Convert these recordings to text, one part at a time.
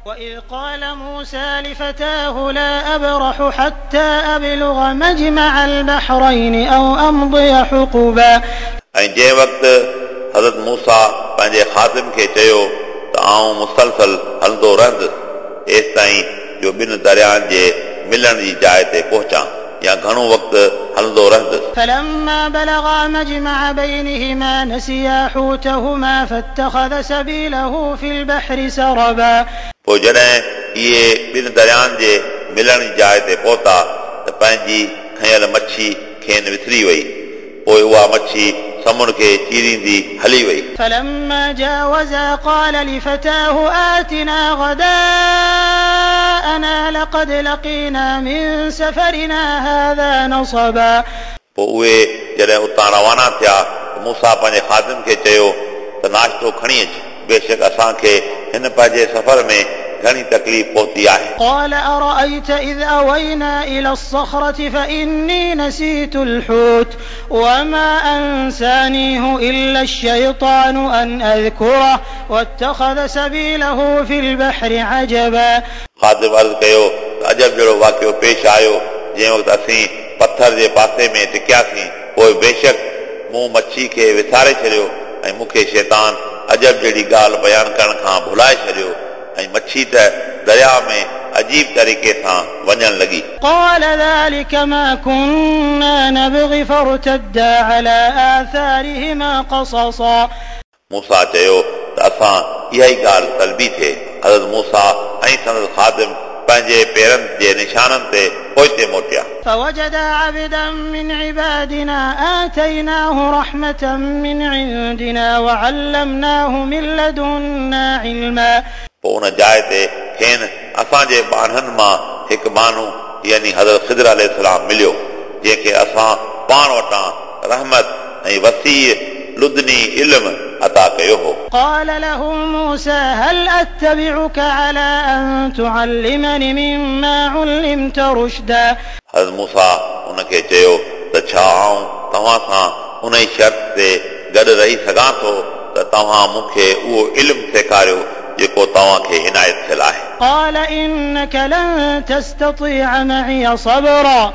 وإذ قال موسى لفتاه لا أبرح حتى أبلغ مجمع البحرين أو أمضي حقبا. ऐं जंहिं वक़्तु हज़रत मूसा पंहिंजे ख़ादिम खे चयो त आउं मुसलसल हलंदो रहंदुसि एसि ताईं जो ॿिनि दरियानि जे मिलण जी जाइ ते पहुचां या घणो वक़्तु हलंदो रहंदुसि। فلما بلغا مجمع بينهما نسيا حوتهما فاتخذ سبيله في البحر سربا. पोइ जॾहिं इहे ॿिनि दरियानि जे मिलण जी जाइ ते पहुता त पंहिंजी खयल मच्छी खेनि विसरी वई, पोइ उहा मच्छी समुंड खे चीरींदी हली वई। فلما جاوزا قال لفتاه آتنا غداءنا لقد لقينا من سفرنا هذا نصبا. पोइ उहे जॾहिं उतां रवाना थिया त मूसा पंहिंजे ख़ादिम खे चयो त नाश्तो खणी अच, बेशक असांखे हिन पंहिंजे सफ़र में घणी तकलीफ़ पहुती आहे। قال أرأيت إذ أوينا إلى الصخرة فإني نسيت الحوت وما أنسانيه إلا الشيطان أن أذكره واتخذ سبيله في البحر عجبا. ख़ादिम अर्ज़ कयो त अजब जहिड़ो वाक़ियो पेश आयो जंहिं वक़्तु असीं पथर जे पासे में टिकियासीं, पोइ बेशक मूं मच्छी खे विसारे छॾियो ऐं मूंखे शैतान अजब जहिड़ी ॻाल्हि बयानु करण खां भुलाए छॾियो ऐं मच्छी त दरिया में अजीब तरीक़े सां वञण लॻी। قال ذلك ما كنا نبغي فارتدا على آثارهما قصصا. मूसा चयो त असां इहा ई ॻाल्हि तलबी थिए। हज़रत मूसा ऐं संदसि ख़ादिम पंहिंजे पेरनि जे निशाननि ते पोइते मोटिया। فوجدا عبدا من عبادنا آتيناه رحمة من عندنا وعلمناه من لدنا علما. पोइ उन जाइ ते खेनि असांजे ॿान्हनि मां हिकु बानो यानी हज़रत ख़िदर अलैहिस्सलाम मिलियो, जंहिंखे असां पाण वटां रहमत ऐं वसी लुदनी इल्म अता कयो हो। قال له موسى هل أتبعك على أن تعلمني مما علمت رشدا. हज़रत मूसा उनखे चयो त छा आउं तव्हां सां उन ई शर्त ते गॾु रही सघां थो त तव्हां मूंखे उहो इल्मु सेखारियो जेको तव्हांखे इनायत थियल आहे। قال إنك لن تستطيع معي صبرا.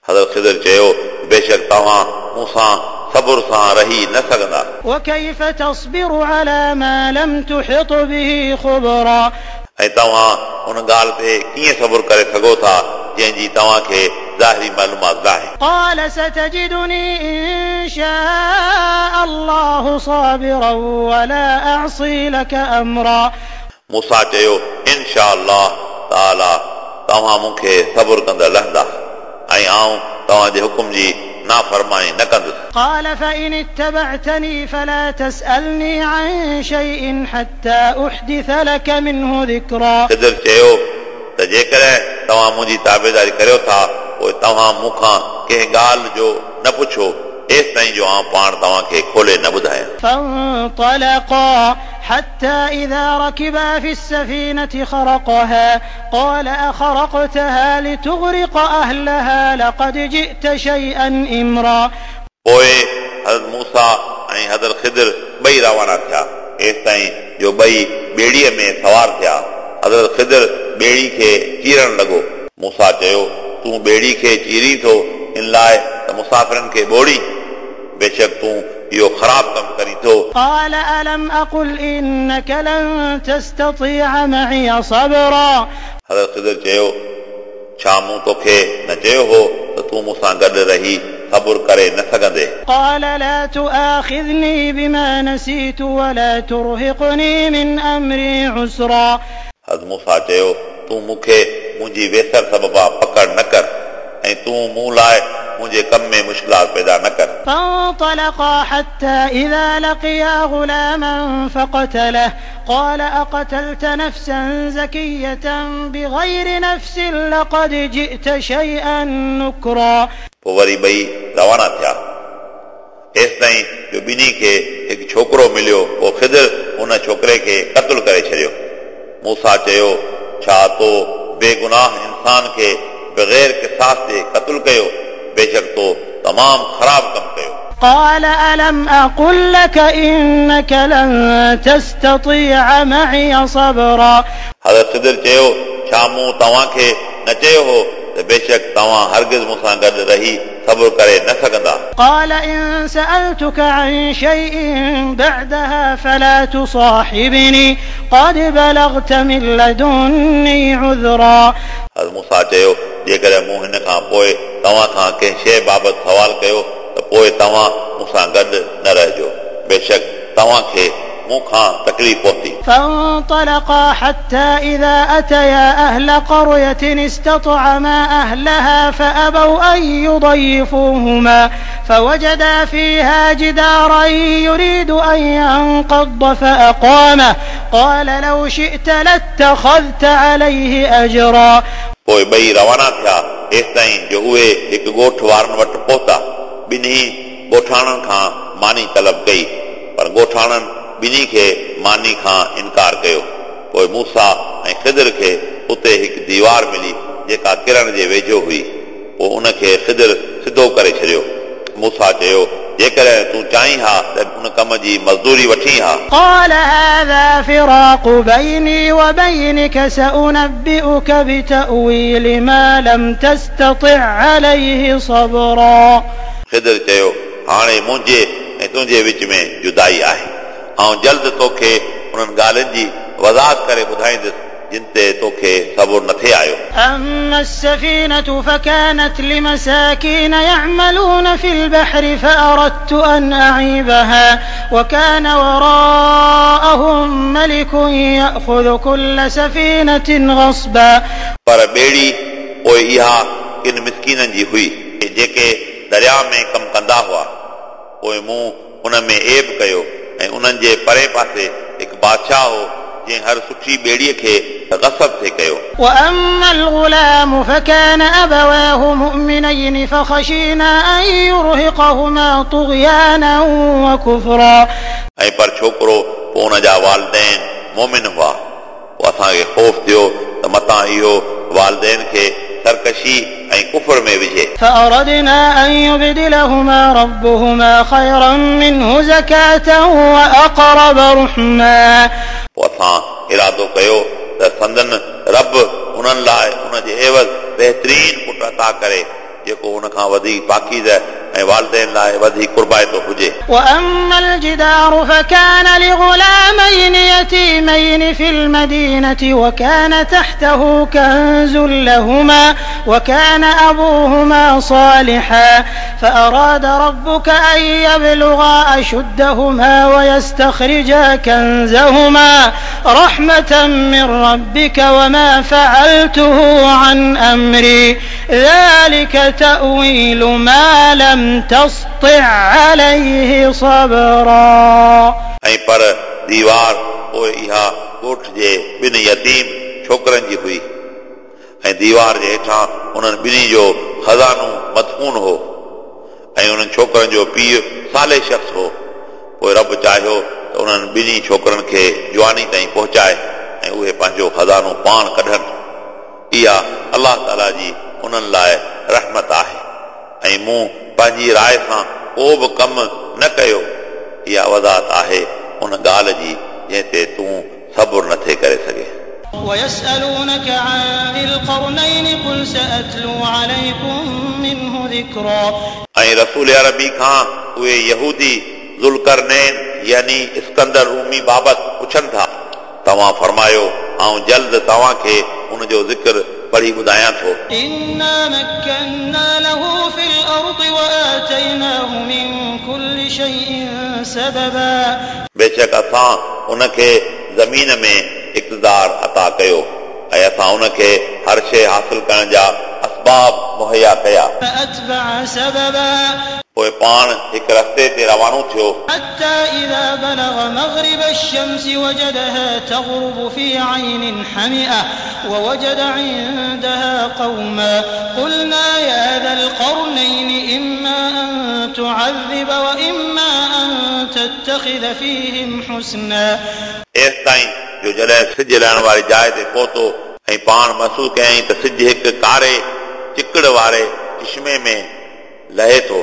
हज़रत ख़िदर चयो बेशक तव्हां मूंसां सब्र सां रही न सघंदा। وكيف تصبر على ما لم تحط به خبرا. ऐं तव्हां उन ॻाल्हि ते कीअं सब्र करे सघो था जंहिंजी तव्हांखे ज़ाहिरी मालूमात न आहे। قال ستجدني إن شاء الله صابرا ولا أعصي لك أمرا. मूसा चयो इनशा अल्लाह ताला तव्हां मूंखे सब्र कंदड़ लहंदा ऐं आउं तव्हांजे हुकुम जी नाफ़रमानी न कंदुसि। قال فإن اتبعتني فلا تسألني عن شيء حتى أحدث لك منه ذكرا. ख़िदर चयो त जेकॾहिं तव्हां मुंहिंजी ताबेदारी करियो था पोइ तव्हां मूंखां कंहिं ॻाल्हि जो न पुछो एसि ताईं जो आउं पाण तव्हांखे खोले न ॿुधायां। فانطلقا حتى إذا ركبا في السفينة خرقها قال أخرقتها لتغرق أهلها لقد جئت شيئا إمرا. पोइ हज़रत मूसा ऐं हज़रत ख़िदर ॿई रवाना थिया एसि ताईं जो ॿई ॿेड़ीअ में सवार थिया। हज़रत ख़िदर ॿेड़ी खे चीरण लॻो। मूसा चयो तूं ॿेड़ी खे चीरी थो इन लाइ त मुसाफ़िरनि खे ॿोड़ी, बेशक तूं इहो ख़राबु कमु करी थो। قال ألم أقل إنك لن تستطيع معي صبرا. हज़रत ख़िदर चयो छा मूं तोखे न चयो हो त तूं मूंसां गॾु रही सब्र करे न सघंदे। قال لا تؤاخذني بما نسيت ولا ترهقني من أمري عسرا. हज़रत मूसा चयो तूं मूंखे मुंहिंजी वेसर सबबा पकड़ न कर ऐं तूं मूं लाइ मुंहिंजे कम में मुश्किलात पैदा न कर। فانطلقا حتى إذا لقيا غلاما فقتله قال أقتلت نفسا زكية بغير نفس لقد جئت شيئا نكرا. पोइ वरी ॿई रवाना थिया एसि ताईं जो ॿिन्ही खे हिकु छोकिरो मिलियो, पोइ ख़िदर उन छोकिरे खे क़तलु करे छॾियो। मूसा चयो छा तो बेगुनाह इंसान खे बग़ैर क़िसास जे क़तलु कयो, बेशक तो तमामु ख़राबु कमु कयो। قال ألم أقل لك إنك لن تستطيع معي صبرا. हज़रत ख़िदर चयो, छा मूं तव्हांखे न चयो हो त बेशक तव्हां हरगिज़ मूंसां गॾु रही सब्र करे न सघंदा? قال إن سألتك عن شيء بعدها فلا تصاحبني قد بلغت من لدني عذرا. हज़रत मूसा चयो, जेकॾहिं मूं हिन खां पोइ तव्हां खां कंहिं शइ बाबति सवाल कयो त पोइ तव्हां मूंसां गॾु न रहिजो, बेशक तव्हांखे मूं खां तकलीफ़ पहुती। فانطلقا حتى إذا أتيا أهل قرية استطعما أهلها فأبوا أن يضيفوهما فوجدا فيها جدارا يريد أن ينقض فأقامه قال لو شئت لاتخذت عليه أجرا. पोइ ॿई रवाना थिया एसिताईं जो उहे हिकु ॻोठ वारनि वटि पहुता। ॿिन्ही ॻोठाणनि खां मानी तलब कई, पर ॻोठाणनि ॿिन्ही खे मानी खां इनकार कयो। पोइ मूसा ऐं ख़िदर खे उते हिकु दीवार मिली जेका किरण जे वेझो हुई। पोइ उनखे ख़िदर सिधो करे छॾियो। मूसा चयो, जेकॾहिं तूं चाहीं हा त उन कम जी मज़दूरी वठी हा। قال هذا فراق بيني وبينك سأنبئك بتأويل ما لم تستطع عليه صبرا. ख़िदर चयो, हाणे मुंहिंजे ऐं तुंहिंजे विच में जुदाई आहे। ऐं जल्द तोखे उन्हनि ॻाल्हियुनि जी वज़ाहत करे ॿुधाईंदुसि जिन ते तोखे सब्र नथे आयो। أما السفينة فكانت لمساكين يعملون في البحر فأردت أن أعيبها وكان وراءهم ملك يأخذ كل سفينة غصبا. पर ॿेड़ी पोइ इहा किन मिसकीननि जी हुई जेके दरिया में कमु कंदा हुआ। पोइ मूं उन में ऐब कयो ऐं उन्हनि जे परे पासे हिकु बादशाह हो जंहिं हर सुठी ॿेड़ीअ खे ग़सब थे कयो। وأما الغلام فكان أبواه مؤمنين فخشينا أن يرهقهما طغيانا وكفرا. ऐं पर छोकिरो पोइ उन जा वालदैन मोमिन हुआ। पोइ असांखे ख़ौफ़ थियो त मतां इहो वालदैन खे सरकशी ऐं कुफर में विझे। فأردنا أن يبدلهما ربهما خيرا منه زكاة وأقرب رحما. पोइ असां इरादो कयो त संदन रब उन्हनि लाइ उन जे एवज़ बहितरीन पुट अता करे जेको उन खां वधीक पाकीज़ ऐं वालदैन लाइ वधीक क़ुर्बाइतो हुजे। وأما الجدار فكان لغلامين يتيمين في المدينة وكان تحته كنز لهما وكان أبوهما صالحا فأراد ربك أن يبلغا أشدهما ويستخرجا كنزهما رحمة من ربك وما فعلته عن أمري ذلك تأويل ما لم تسطع عليه صبرا. ऐं पर दीवार पोइ इहा ॻोठ जे ॿिनि यतीम छोकिरनि जी हुई ऐं दीवार जे हेठां उन्हनि ॿिन्ही जो ख़ज़ानो मदफून हो ऐं उन्हनि छोकिरनि जो पीउ साले शख़्स हो। पोइ रब चाहियो त उन्हनि ॿिन्ही छोकिरनि खे जवानी ताईं पहुचाए ऐं उहे पंहिंजो ख़ज़ानो पाण कढनि। इहा अलाह ताला जी उन्हनि लाइ रहमत आहे ऐं मूं पंहिंजी राय सां को बि कमु न कयो। इहा वज़ाहत आहे उन ॻाल्हि जी जंहिं ते तूं सब्र नथे करे सघे। ويسألونك عن ذي القرنين قل سأتلو عليكم منه ذكرا. ऐं रसूल अरबी खां उहे यहूदी ज़ुल्करनैन यानी इस्कंदर रूमी बाबति पुछनि था, तव्हां फरमायो आउं जल्द तव्हांखे उन जो ज़िक्र पढ़ी ॿुधायां थो। إنا مكنا له في الأرض وآتيناه من كل شيء سببا. बेशक असां उनखे ज़मीन में इक़्तिदार अता कयो ऐं असां उनखे हर शइ हासिल करण जा असबाब मुहैया कया। فأتبع سببا. पोइ पाण हिकु रस्ते ते रवानो थियो। حتى إذا بلغ مغرب الشمس وجدها تغرب في عين حمئة ووجد عندها قوما قلنا يا ذا القرنين إما أن تعذب وإما أن تتخذ فيهم حسنا. एसिताईं जो जॾहिं सिज लहण वारी जाइ ते पहुतो ऐं पाण महसूसु कयईं त सिज हिकु कारे चिकड़ वारे चिश्मे में लहे थो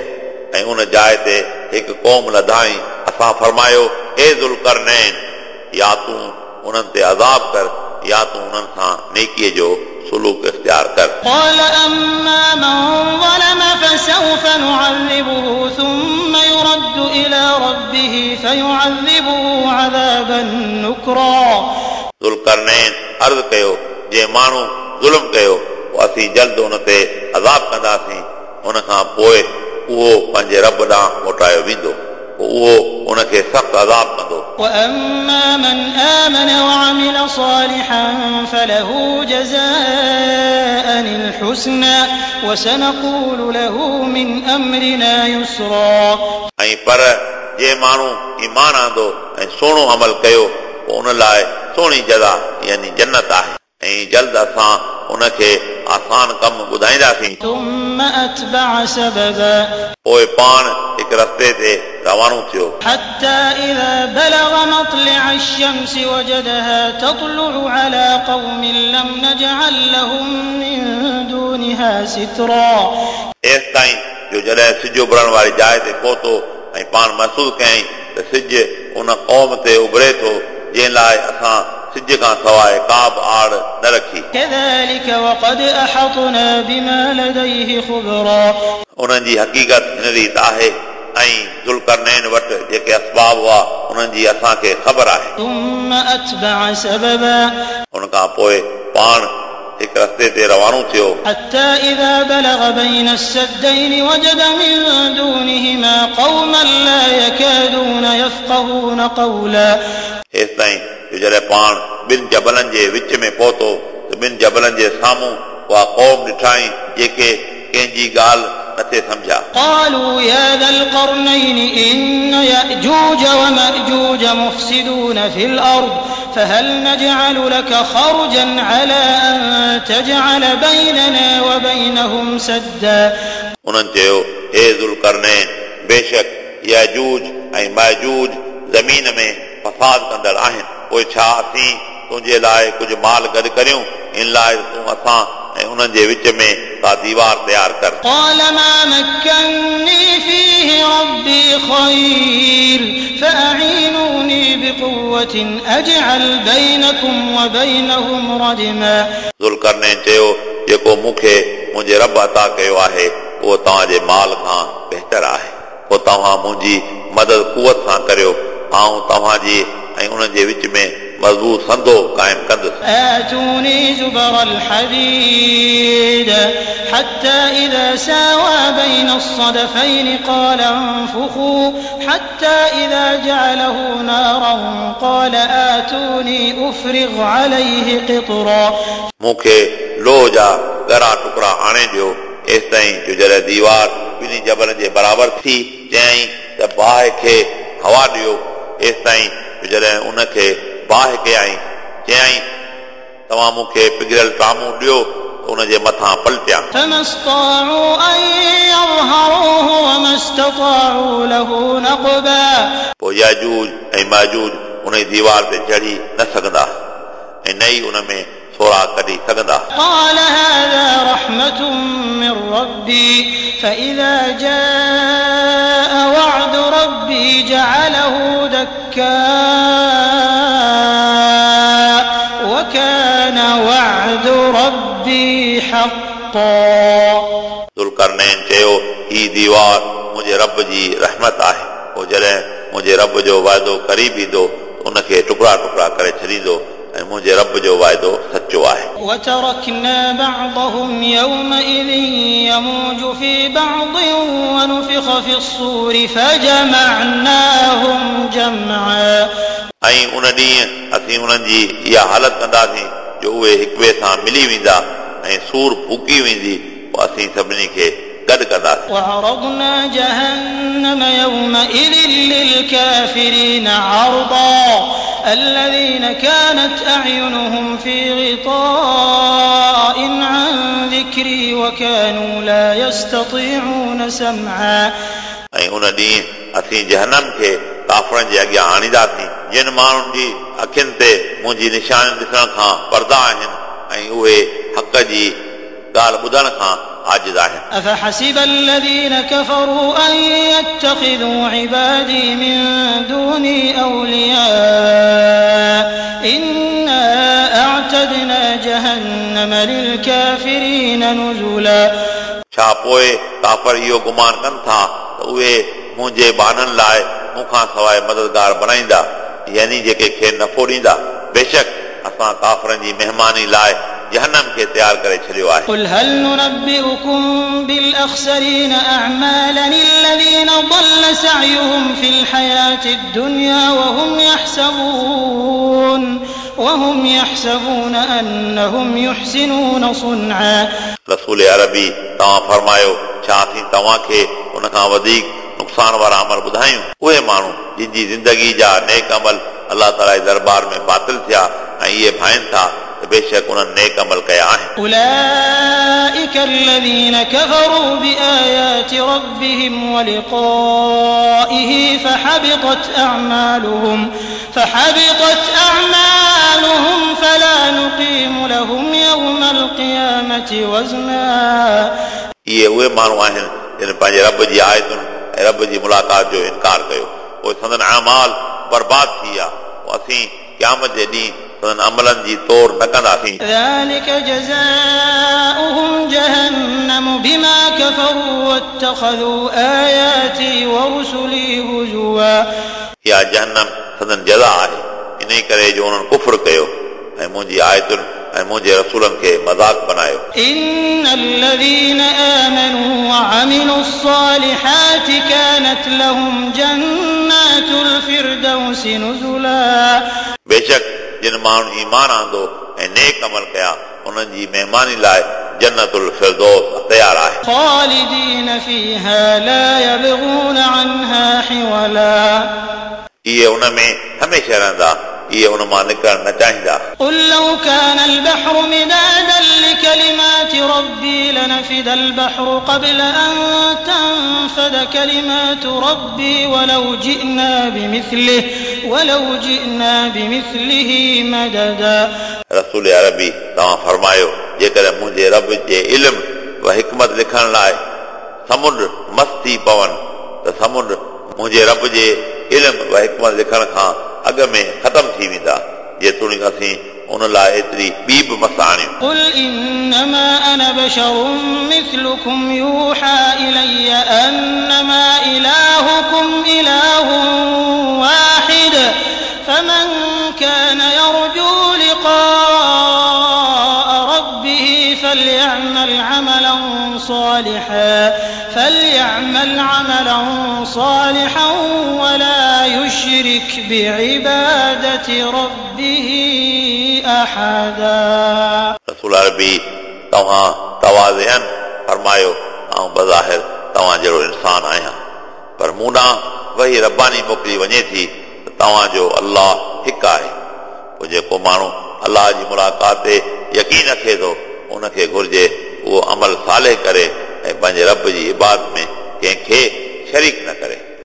ऐं उन जाइ ते हिकु क़ौम लधाई। असां फरमायो, ए ज़ुल्करनैन, या तूं उन्हनि ते अज़ाब कर या तूं उन्हनि सां नेकीअ जो सुलूक इख़्तियार कर। قال أما من ظلم فسوف نعذبه ثم يرد إلى ربه فيعذبه عذابا نكرا। ज़ुल्करनैन अर्ज़ कयो, जंहिं माण्हू ज़ुल्म कयो पोइ असीं जल्द उन ते अज़ाब कंदासीं, उन खां पोइ उहो पंहिंजे रब ॾांहुं मोटायो वेंदो, पोइ उहो उनखे सख़्तु अज़ाब कंदो। وأما من آمن وعمل صالحا فله جزاء الحسنى وسنقول له من أمرنا يسرا। ऐं पर जंहिं माण्हू ईमान आंदो ऐं सुहिणो अमल कयो पोइ उन लाइ सुहिणी जज़ा यानी जन्नत आहे, ऐं जल्द असां उनखे आसान कमु ॿुधाईंदासीं। ثم أتبع سببا। पोइ पाण हिकु रस्ते ते रवानो थियो। حتى إذا بلغ مطلع الشمس وجدها تطلع على قوم لم نجعل لهم من دونها سترا। एसि ताईं जो जॾहिं सिज उभरण वारी जाइ ते पहुतो ऐं पाण महसूसु कयईं त सिज उन क़ौम ते उभरे थो जंहिं लाइ असां सिज खां सवाइ का बि आड़ न रखी। كذلك وقد أحطنا بما لديه خبرا। उन्हनि जी हक़ीक़त हिन रीति आहे ऐं ज़ुल्करनैन वटि जेके असबाब हुआ उन्हनि जी असांखे ख़बर आहे। ثم أتبع سببا। उन खां पोइ पाण हिकु रस्ते ते रवानो थियो। حتى إذا بلغ بين السدين وجد من دونهما قوما لا يكادون يفقهون قولا। एसि ताईं जो जॾहिं पाण ॿिनि जबलनि जे विच में पहुतो त ॿिनि जबलनि जे साम्हूं उहा क़ौम ॾिठाई जेके कंहिंजी ॻाल्हि नथे सम्झा। قالوا يا ذا القرنين إن يأجوج ومأجوج مفسدون في الأرض فهل نجعل لك خرجا على أن تجعل بيننا وبينهم سدا। उन्हनि चयो, हे ज़ुल्करनैन, बेशक याजूज ऐं माजूज ज़मीन में फसाद कंदड़ आहिनि, पोइ छा असीं तुंहिंजे लाइ कुझु माल गॾु करियूं? इन लाइ तूं असां ऐं उन्हनि जे विच में का दीवार तयार कर। قال ما مكني فيه ربي خير فأعينوني بقوة أجعل بينكم وبينهم ردما। ज़ुल्करनैन चयो, जेको मूंखे मुंहिंजे रब अता कयो आहे उहो तव्हांजे माल खां बहितर आहे, पोइ तव्हां मुंहिंजी मदद कुवत सां करियो, आउं तव्हांजी ऐं उन्हनि जे विच में मज़बूत संदो क़ाइमु कंदुसि। آتوني زبر الحديد حتى إذا ساوى بين الصدفين قال انفخوا حتى إذا جعله نارا قال آتوني أفرغ عليه قطرا। मूंखे लोह जा ॻरा टुकड़ा आणे ॾियो, एसि ताईं जो जॾहिं दीवार ॿिन्ही जबलनि जे बराबरि थी चयाईं त बाहि खे हवा ॾियो, एसि ताईं जो जॾहिं उनखे बाहि कयाईं चयाईं तव्हां मूंखे पिघिरियल टामू ॾियो त उन जे मथां पलटियां। فما استطاعوا أن يظهروه وما استطاعوا له نقبا। पोइ याजूज ऐं माजूज उन दीवार ते चढ़ी न सघंदा ऐं न ई उन में सोराख कढी सघंदा। قال هذا رحمة من ربي فإذا جاء وعد ربي جعله دكاء وكان وعد ربي حقا। ज़ुल्करनैन चयो, ही दीवार मुंहिंजे रब जी रहमत आहे, पोइ जॾहिं मुंहिंजे रब जो वाइदो क़रीब ईंदो उनखे टुकड़ा टुकड़ा करे छॾींदो ऐं मुंहिंजे रब जो वाइदो सचो आहे। وتركنا بعضهم يومئذ يموج في بعض ونفخ في الصور فجمعناهم جمعا। ऐं उन ॾींहुं असीं उन्हनि जी इहा हालत कंदासीं जो उहे हिक ॿिए सां मिली वेंदा ऐं सूर फूकी वेंदी, पोइ असीं सभिनी खे गॾु कंदासीं। وعرضنا جهنم يومئذ للكافرين عرضا الذين كانت أعينهم في غطاء عن ذكري وكانوا لا يستطيعون سمعا। ऐं उन ॾींहुं असीं जहनम खे काफ़रनि जे अॻियां आणींदासीं, जिन माण्हुनि जी अखियुनि ते मुंहिंजी निशानी ॾिसण खां पर्दा आहिनि ऐं उहे हक़ जी ॻाल्हि ॿुधण खां आजिज़ आहिनि। أفحسب الذين كفروا أن يتخذوا عبادي من دوني أولياء إنا أعتدنا أعتدنا جهنم للكافرين نزلا. छा पोइ काफ़र इहो गुमान कनि था त उहे मुंहिंजे ॿान्हनि लाइ मूंखां सवाइ मददगार बणाईंदा, यानी जेके खेनि नफ़ो ॾींदा। बेशक असां काफ़रनि जी महिमानी लाइ जहन्नम खे तयारु करे छॾियो आहे। قل هل ننبئكم بالأخسرين أعمالا الذين ضل سعيهم في الحياة الدنيا وهم يحسبون أنهم يحسنون صنعا. रसूल अरबी तव्हां फरमायो, छा असीं तव्हांखे उन खां वधीक नुक़सान वारा अमल ॿुधायूं? उहे माण्हू जिन जी ज़िंदगी जा नेक अमल अलाह ताला जे दरबार में बातिल थिया ऐं इहे भाइनि था त बेशक उन्हनि नेक अमल कया आहिनि। أولئك الذين كفروا بآيات ربهم ولقائه فحبطت أعمالهم فلا نقيم لهم يوم القيامة وزنا. इहे उहे माण्हू आहिनि जिन पंहिंजे रब जी आयतुनि ऐं रब जी मुलाक़ात जो इनकार कयो, पोइ संदन आमाल बर्बाद थी विया, पोइ असीं क़यामत जे ॾींहुं संदन अमलनि जी तौर न कंदासीं। ذلك جزاؤهم جهنم بما كفروا واتخذوا آياتي ورسلي هزوا. इहा जहन्नम संदन जज़ा आहे इन करे जो उन्हनि कुफ्र कयो ऐं मुंहिंजी आयतुनि ऐं मुंहिंजे रसूलनि खे मज़ाक बनायो। إن الذين آمنوا وعملوا الصالحات كانت لهم جنات الفردوس نزلا. बेशक जिन माण्हुनि ईमान आंदो ऐं नेक अमल कया उन्हनि जी महिमानी लाइ जन्नतुल फिरदौस तयारु आहे। خالدين فيها لا يبغون عنها حولا. इहे उन में हमेशह रहंदा, इहे उन मां निकिरणु न चाहींदा। قل لو كان البحر مدادا لكلمات ربي لنفد البحر قبل أن تنفد كلمات ربي ولو جئنا بمثله مددا. रसूल अरबी तव्हां फरमायो, जेकॾहिं मुंहिंजे रब जे इल्म व हिकमत लिखण लाइ समुंड मस्त थी पवनि त समुंड मुंहिंजे रब जे इल्म व हिकमत लिखण खां अॻ में ख़तमु थी वेंदा, जेतोणीकि असीं उन लाइ एतिरी ॿी बि मस आणियूं। قل إنما أنا بشر مثلكم يوحى إلي أنما إلهكم إله واحد فمن كان يرجو لقاء ربه فليعمل عملا صالحا ولا يشرك بعبادة ربه أحدا. रसूल अरबी तव्हां तवाज़ियन फरमायो, आउं बज़ाहिर तव्हां जहिड़ो इंसान आहियां, पर मूं ॾांहुं वही रब्बानी मोकिली वञे थी त तव्हांजो अलाह हिकु आहे। पोइ जेको माण्हू अलाह जी मुलाक़ात ते यकीन रखे थो उनखे घुर्जे उहो अमल साले करे ऐं पंहिंजे रब जी इबादत में कंहिंखे शरीक न करे।